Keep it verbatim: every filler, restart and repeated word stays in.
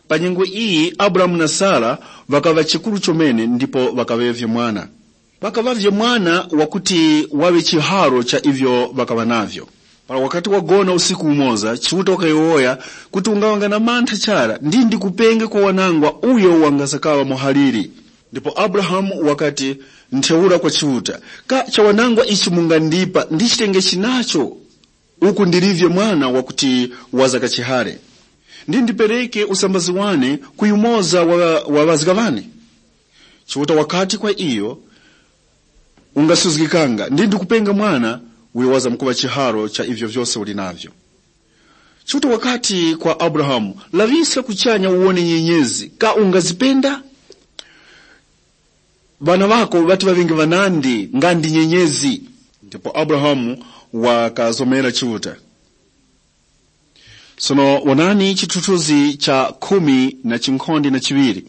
Pa nyengo iyi Abrahamu na Sara ŵakaŵa chikuru chomene ndipo ŵakaŵavye mwana. Ŵakaŵavye mwana wakuti waŵe chiharo cha ivyo ŵakaŵa navyo. Para wakati wagona usiku umoza, Chiuta wakayowoya kuti ungaŵanga na mantha chara ndi ndikupenge kwa wanangwa uyo wangazakaŵa muhaliri. Ndipo Abrahamu wakati ntheura kwa Chiuta, ka chawanangwa ichi mungandipa ndichitenge chinacho? Uku ndilivye mwana wakuti waza kachihare, ndi ndipereke usambazi wane ku yumoza wa, wa ŵazga ŵane. Chiuta wakati kwa iyo, ungasuzgikanga ndi ndikupenga mwana uyo wazamkuŵa chiharo cha ivyo vyose uli navyo. Chiuta wakati kwa Abrahamu, laŵiska kuchanya uwone nyenyezi, ka ungazipenda? Ŵana ŵako ŵati ŵaŵenge ŵanandi nga ndi nyenyezi. Ndipo Abrahamu wakazomera Chiuta. Sono wonani chithuthuzi cha khumi na chinkhonde na chiŵiri.